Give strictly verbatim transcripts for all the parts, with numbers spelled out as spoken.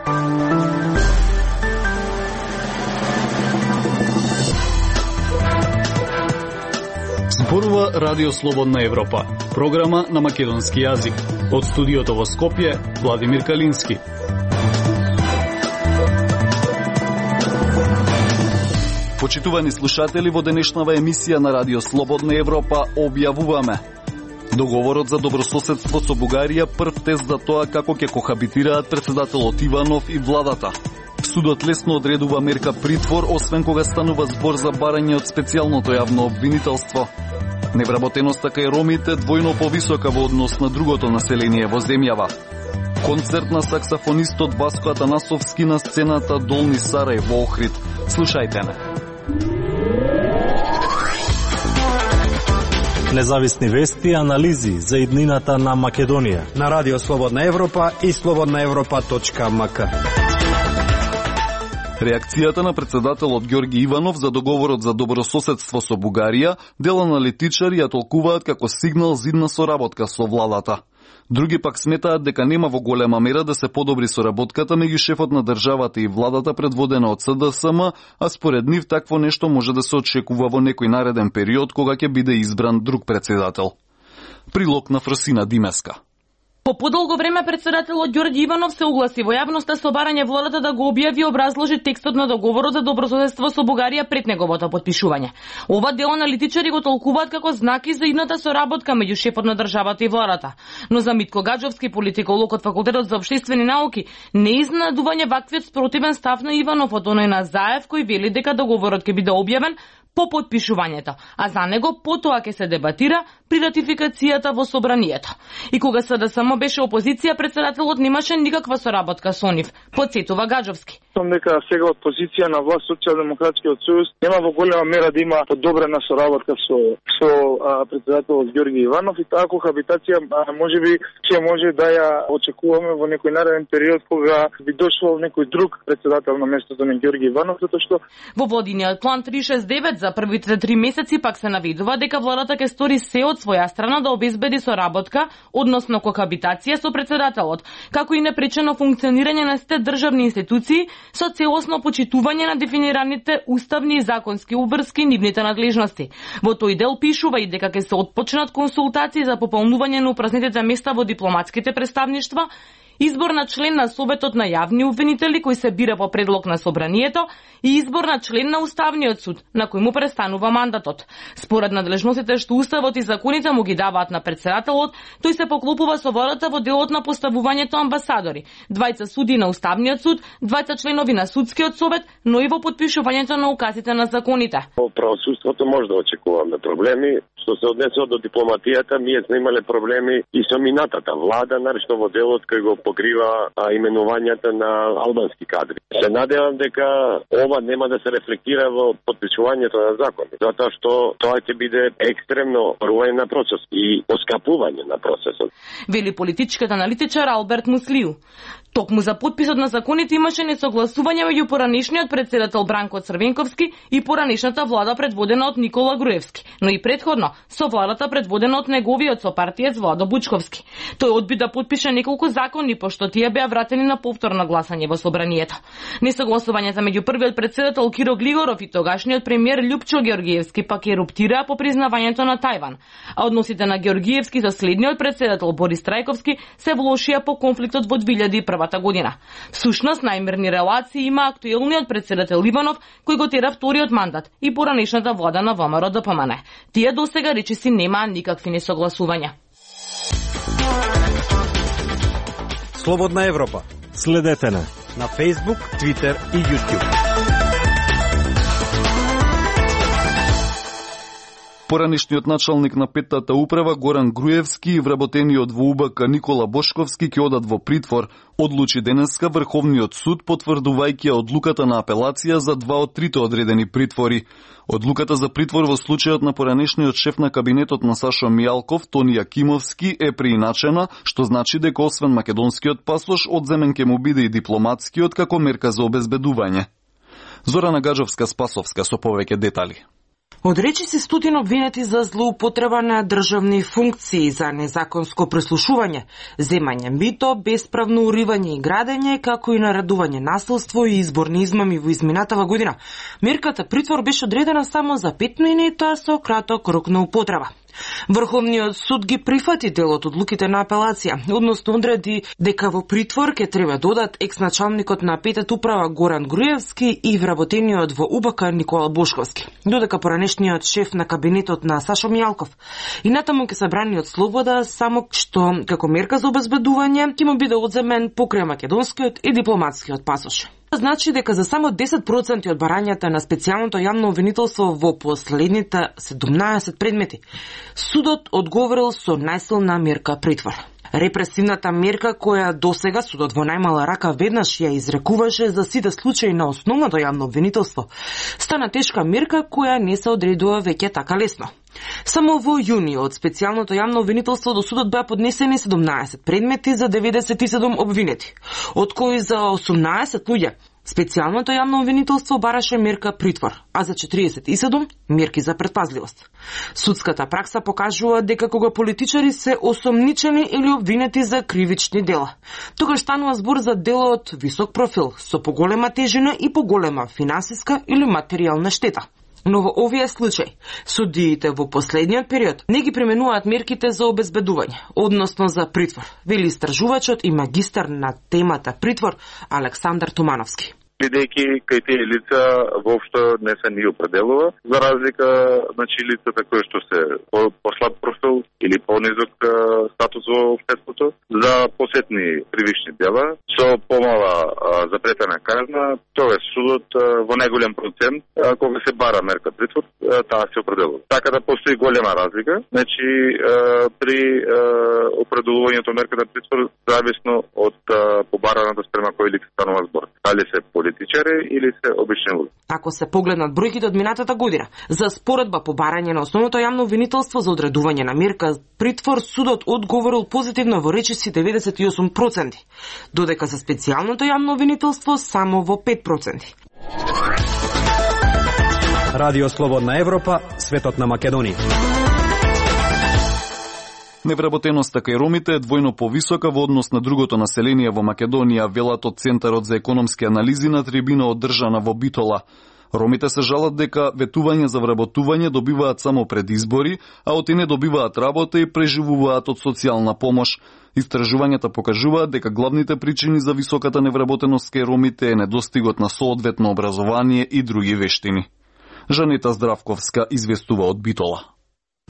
Зборува Радио Слободна Европа, програма на македонски јазик. Од студиото во Скопје, Владимир Калински. Почитувани слушатели, во денешнава емисија на Радио Слободна Европа објавуваме: договорот за добрососедство со Бугарија, прв тест за тоа како ќе кохабитираат председателот Иванов и владата. Судот лесно одредува мерка притвор, освен кога станува збор за барање од специјалното јавно обвинителство. Невработеноста кај ромите двојно повисока во однос на другото население во земјава. Концерт на саксафонистот Васко Атанасовски на сцената Долни Сарај во Охрид. Слушајте ме. Независни вести и анализи за иднината на Македонија на Радио Слободна Европа и слободна европа точка ем ка. Реакцијата на председателот Ѓорги Иванов за договорот за добрососедство со Бугарија дел аналитичари ја толкуваат како сигнал за идна соработка со владата. Други пак сметаат дека нема во голема мера да се подобри соработката меѓу шефот на државата и владата предводена од С Д С М, а според нив такво нешто може да се очекува во некој нареден период кога ќе биде избран друг председател. Прилог на Фросина Димеска. По подолго време председателот Ѓорги Иванов се огласи во јавноста со барање владата да го објави и образложи текстот на договорот за добрососедство со Бугарија пред неговото потпишување. Ова дел аналитичари го толкуваат како знаки за идната соработка меѓу шефот на државата и владата. Но за Митко Гаджовски, политиколог од Факултетот за општествени науки, не е изненадување ваквиот спротивен став на Иванов од оној на Заев кој вели дека договорот ќе биде објавен по подпишувањето, а за него потоа ќе се дебатира при ратификацијата во собранието. И кога С Д С М беше опозиција, председателот немаше никаква соработка со нив, потсетува Гаджовски. Сум дека сега од позиција на власт Социјалдемократскиот сојуз нема во голема мера да има подобрена соработка со со а, председателот Ѓорги Иванов, и таа кохабитација можеби ќе може да ја очекуваме во некој нареден период кога би дошло некој друг председател на местото на Ѓорги Иванов, затоа што во водиниот план триста шесет девет за првите три месеци пак се наведува дека владата ќе стори се од своја страна да обезбеди соработка, односно кохабитација со председателот, како и непречено функционирање на сите државни институции со целосно почитување на дефинираните уставни и законски обврски нивните надлежности. Во тој дел пишува и дека ќе се отпочнат консултации за пополнување на упразнетите места во дипломатските представништва, избор на член на Советот на јавни обвинители кој се бира по предлог на собранието и избор на член на Уставниот суд на кој му престанува мандатот. Според надлежностите што Уставот и законите му ги даваат на председателот, тој се поклопува со владата во делот на поставувањето амбасадори, двајца суди на Уставниот суд, двајца членови на Судскиот совет, но и во потпишувањето на указите на законите. Во правосудството може да очекуваме проблеми. Што се однесува до дипломатијата, ние сме имале проблеми и со минатата влада, наречно во делот кој го покрива а, именувањата на албански кадри. Се надевам дека ова нема да се рефлектира во подпишувањето на закони, затоа што тоа ќе биде екстремно руен на процес и оскапување на процесот. Вели политичкиот аналитичар Алберт Муслиу. Токму за подписот на законите имаше несогласување меѓу поранешниот председател Бранко Црвенковски и поранешната влада предводена од Никола Груевски, но и предходно со владата предводена од неговиот сопартиец Владо Бучковски. Тој одби да подпише неколку закони, пошто тие беа вратени на повторно гласање во собранието. Несогласувањата меѓу првиот председател Киро Глигоров и тогашниот премиер Љупчо Ѓоргиевски пак еруптираа по признавањето на Тајван, а односите на Ѓоргиевски со следниот председател Борис Трајковски се влошија по конфликтот во две илјади и прва година. Всушност, најмирни релации има актуелниот председател Иванов, кој го тера вториот мандат и поранешната влада на Во М Р Д П М Н. Тие досега речиси немаа никакви несогласувања. Слободна Европа. Следете на на Facebook, Twitter и YouTube. Поранешниот началник на петтата управа Горан Груевски и вработениот во У Б К Никола Бошковски ќе одат во притвор, одлучи денеска Врховниот суд потврдувајќи одлуката на апелација за два од трите одредени притвори. Одлуката за притвор во случајот на поранешниот шеф на кабинетот на Сашо Мијалков, Тони Јакимовски, е преиначена, што значи дека освен македонскиот пасош, одземен ќе му биде и дипломатскиот како мерка за обезбедување. Зорана Гаджовска-Спасовска со повеќе детали. Одречи се стотин обвинети за злоупотреба на државни функции, за незаконско преслушување, земање мито, бесправно уривање и градење, како и наредување насилство и изборни измами во изминатава година. Мерката притвор беше одредена само за пет години и тоа со краток рок на употреба. Врховниот суд ги прифати дел од одлуките на апелација, односно одреди дека во притвор ќе треба додат екс-началникот на петата управа Горан Груевски и вработениот во У Б К Никола Бошковски, додека поранешниот шеф на кабинетот на Сашо Мијалков. И натаму ќе се брани од слобода, само што како мерка за обезбедување ќе му биде одземен покрај македонскиот и дипломатскиот пасош. Значи дека за само десет проценти од барањата на специјалното јавно обвинителство во последните седумнаесет предмети, судот одговорил со најсилна мерка притвор. Репресивната мерка која досега судот во најмала рака веднаш ја изрекуваше за сите случаи на основното јавно обвинителство, стана тешка мерка која не се одредува веќе така лесно. Само во јуни од специјалното јавно обвинителство до судот беа поднесени седумнаесет предмети за деветдесет и седум обвинети, од кои за осумнаесет луѓе специјалното јавно обвинителство бараше мерка притвор, а за четириесет и седум мерки за предпазливост. Судската пракса покажува дека кога политичари се осомничени или обвинети за кривични дела, тогаш станува збор за дела од висок профил, со поголема тежина и поголема финансиска или материјална штета. Но во овие случаи, судиите во последниот период не ги применуваат мерките за обезбедување, односно за притвор, вели истражувачот и магистар на темата притвор Александар Тумановски. Бидејќи кај тие лица воопшто не се ни определува, за разлика значи лицата кои што се по, по слаб профил или понизок статус во општеството, за посетни кривични дела со помала а, запретена казна, тоа судот а, во најголем процент а, кога се бара мерка притвор, а, таа се определува. Така да постои голема разлика, значи а, при а, определувањето мерката притвор зависно од а, побараната спрема кој лице станува збор. Дали се политичари или се обични луѓе. Ако се погледнат бројките од минатата година, за споредба по барање на основното јавно обвинителство за одредување на мерка притвор, судот одговорил позитивно во речиси деветдесет и осум проценти, додека за специјалното јавно обвинителство само во пет проценти. Радио Слободна Европа, светот на Македонија. Невработеноста кај ромите е двојно повисока во однос на другото население во Македонија, велат од Центарот за економски анализи на трибина одржана во Битола. Ромите се жалат дека ветување за вработување добиваат само пред избори, а оти не добиваат работа и преживуваат од социјална помош. Истражувањата покажуваат дека главните причини за високата невработеност кај ромите е недостигот на соодветно образование и други вештини. Жанета Здравковска известува од Битола.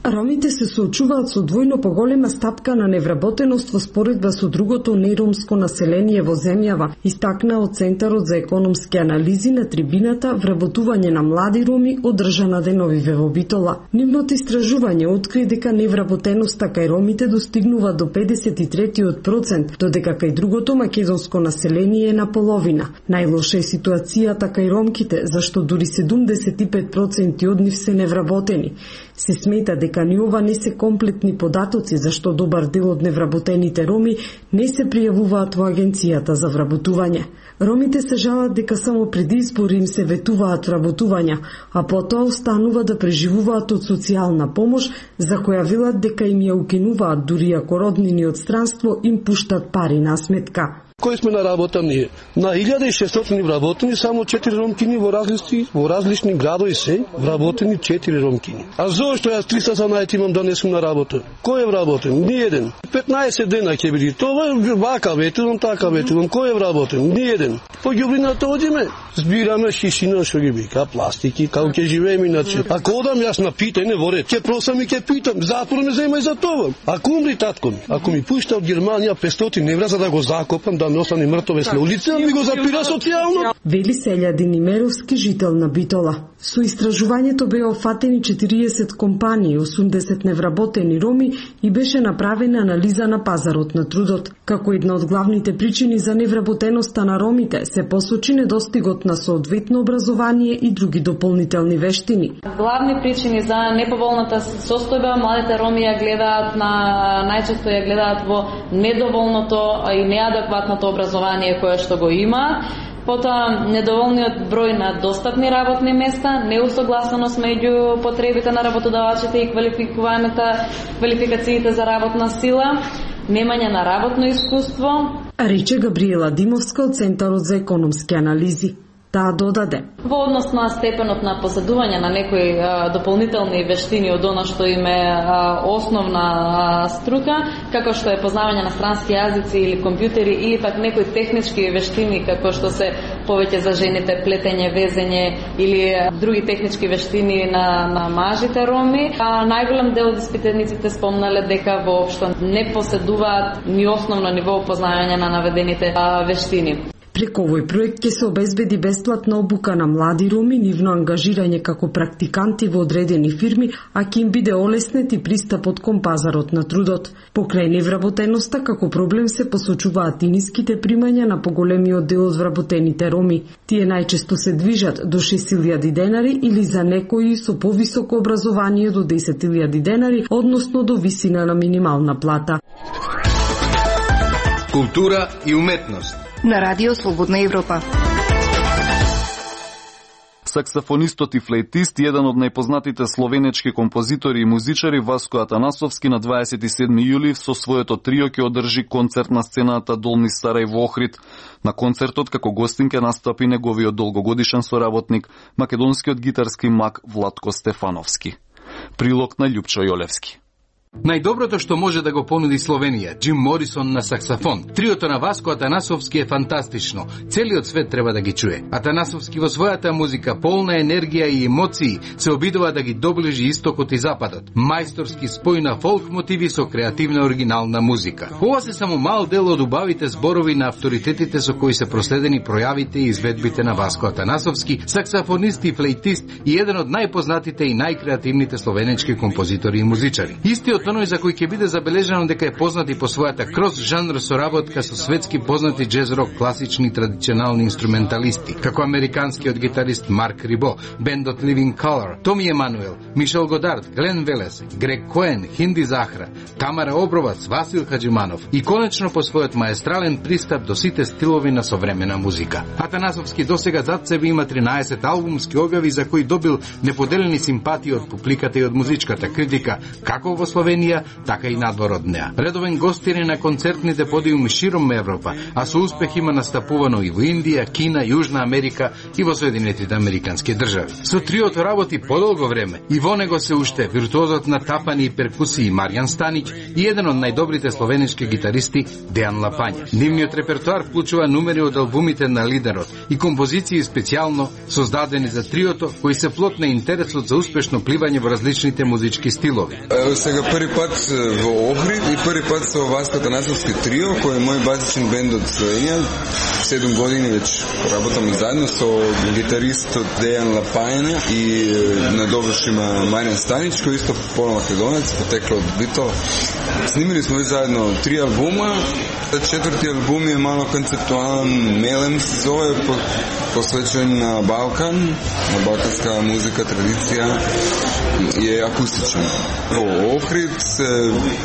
Ромите се соочуваат со двојно поголема стапка на невработеност во споредба со другото неромско население во земјава, истакна од Центарот за економски анализи на трибината вработување на млади роми одржана деновиве во Битола. Нивното истражување откри дека невработеноста кај ромите достигнува до педесет и три проценти, додека кај другото македонско население е на половина. Најлоша е ситуацијата кај ромките, зашто дури седумдесет и пет проценти од нив се невработени. Се смета дека ни ова не се комплетни податоци, зашто добар дел од невработените роми не се пријавуваат во Агенцијата за вработување. Ромите се жалат дека само пред избори им се ветуваат вработувања, а потоа останува да преживуваат од социјална помош, за која велат дека им ја укинуваат, дури ако роднини од странство им пуштат пари на сметка. Кои сме на работа ние? На илјада и шестстотини вработени, само четири ромкини во различни, во различни градови се вработени четири ромкини. А зошто јас триста санајт имам да не сум на работа? Кој е вработен? Ни еден. петнаесет дена ќе биде. Това е вака ветувам, така ветувам. Кој е вработен? Ни еден. По ѓубрината одиме, збираме шишина што ги бика, пластики, како ќе живееме иначе. Ако одам јас на питање во ред, ќе просам и ќе питам, затвор ме зема и за това. Ако умри татко ми, ако ми пушта од Германија петстотини евра за да го закопам, да не остане мртовец на улица, ми го запира социјално. Вели Сељадин Имеровски, жител на Битола. Со истражувањето беа офатени четириесет компании, осумдесет невработени роми и беше направена анализа на пазарот на трудот. Како една од главните причини за невработеноста на ромите се посочи недостигот на соодветно образование и други дополнителни вештини. Главни причини за неповолната состојба младите роми ја гледаат на најчесто ја гледаат во недоволното и неадекватното образование кое што го има. Потоа недоволниот број на достапни работни места, неусогласеност меѓу потребите на работодавачите и квалификуваната квалификациите за работна сила, немање на работно искуство, рече Габриела Димовска од Центарот за економски анализи. Таа додаде: во однос на степенот на поседување на некои а, дополнителни вештини од она што им е а, основна а, струка, како што е познавање на странски јазици или компјутери, или пак некои технички вештини како што се повеќе за жените плетење, везење или а, други технички вештини на на мажите роми, а најголем дел од испитениците спомнале дека воопшто не поседуваат ни основно ниво познавање на наведените а, вештини. Преку овој проект ќе се обезбеди бесплатна обука на млади роми, нивно ангажирање како практиканти во одредени фирми, а ќе им биде олеснет и пристапот кон пазарот на трудот. Покрај невработеноста, како проблем се посочуваат и ниските примања на поголемиот дел од вработените роми. Тие најчесто се движат до шест илјади денари или за некои со повисоко образование до десет илјади денари, односно до висина на минимална плата. Култура и уметност на Радио Слободна Европа. Саксофонистот и флейтист, еден од најпознатите словенечки композитори и музичари Васко Атанасовски на дваесет и седми јули со своето трио ќе одржи концерт на сцената Долни Сарај во Охрид. На концертот како гостин ќе настапи неговиот долгогодишен соработник, македонскиот гитарски мак Владко Стефановски. Прилог на Љупчо Јолевски. Најдоброто што може да го понуди Словенија, Джим Морисон на саксофон. Триото на Васко Атанасовски е фантастично. Целиот свет треба да ги чуе. Атанасовски во својата музика, полна енергија и емоции, се обидува да ги доближи истокот и западот. Мајсторски спој на фолк мотиви со креативна оригинална музика. Ова се само мал дел од убавите зборови на авторитетите со кои се проследени пројавите и изведбите на Васко Атанасовски, саксофонист и флейтист и еден од најпознатите и најкреативните словенечки композитори и музичари. Истиот оној за кој ќе биде забележано дека е познат и по својата крос жанр соработка со светски познати джез-рок, класични традиционални инструменталисти, како американскиот гитарист Марк Рибо, бендот Living Colour, Томи Емануел, Мишел Годард, Глен Велес, Грег Коен, Хинди Захра, Тамара Обровац, Васил Хаджиманов и конечно по својот маестрален пристап до сите стилови на современа музика. Атанасовски досега зад себе има тринаесет албумски објави за кои добил неподелени симпатии од публиката и од музичката критика, како во Словенија, така и надвор од неа. Редовен гостин е на концертните подиуми широм Европа, а со успех има настапувано и во Индија, Кина, Јужна Америка и во Соединетите американски држави. Со триото работи подолго време и во него се уште виртуозот на тапани и перкусии Маријан Станиќ и еден од најдобрите словенечки гитаристи Дејан Лапања. Нивниот репертоар вклучува numери од албумите на лидерот и композиции специјално создадени за триото, кои се плод на интересот за успешно пливање во различните музички стилови. Ево сега први пат во Охрид и први пат со Васко Атанасовски трио, кој е мој базичен бенд од Словенија. седум години веќе работаме заедно со гитаристот Дејан Лапајна и на довршима Маријан Станиќ, кој исто полномакедонец, потекло од Битола. Снимили сме заедно три албума. Четврти албум е мало концептуален, Мелем се зове, посвечен на Балкан, на балканска музика, традиција и е акустичен. Во Охрид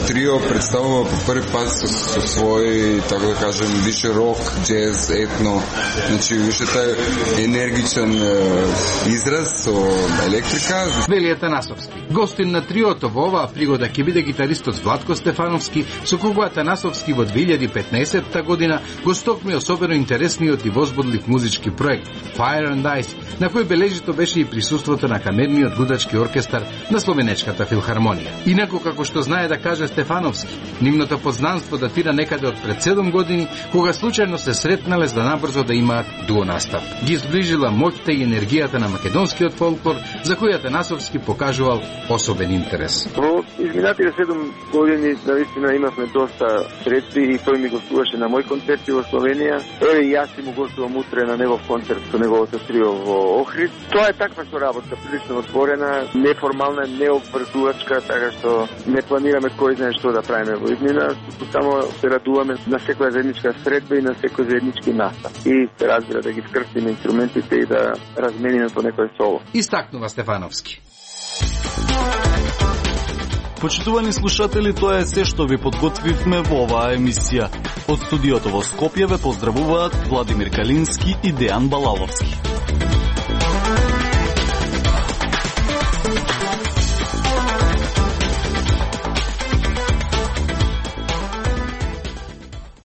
трио представува по први пат со, со свој, така да кажем, више рок, джез, етно, значи више тај енергичен е, израз со електрика. Вели Атанасовски. Гостин на триото во оваа пригода ќе биде гитаристот Владко Стефановски, со кого Атанасовски во две илјади и петнаесетта година го стокми особено интересниот и возбудлив музички проект Fire and Ice, на кој бележито беше и присуството на камерниот гудачки оркестар на Словенечката филхармонија. Инаку, како што знае да каже Стефановски, нивното познанство датира некаде од пред седум години, кога случајно се сретнале за да набрзо да имаат дуо настап. Ги зближила моќта и енергијата на македонскиот фолклор, за кој Атанасовски покажувал особен интерес. Во изминатите седум години наистина имавме доста средби и тој ми гостуваше на мој концерти во Словенија. Еве и јас си му гостувам утре на негов концерт со неговото трио во Охрид. Тоа е таква соработка, прилично отворена, неформална, необврзувачка, така што не планираме кој знае што да правиме во иднина, само се радуваме на секоја заедничка средба и на секој заеднички настап. И се разбира да ги скрстиме инструментите и да размениме по некој соло. Истакнува Стефановски. Почитувани слушатели, тоа е се што ви подготвивме во оваа емисија. Од студиото во Скопје ве поздравуваат Владимир Калински и Дејан Балаловски.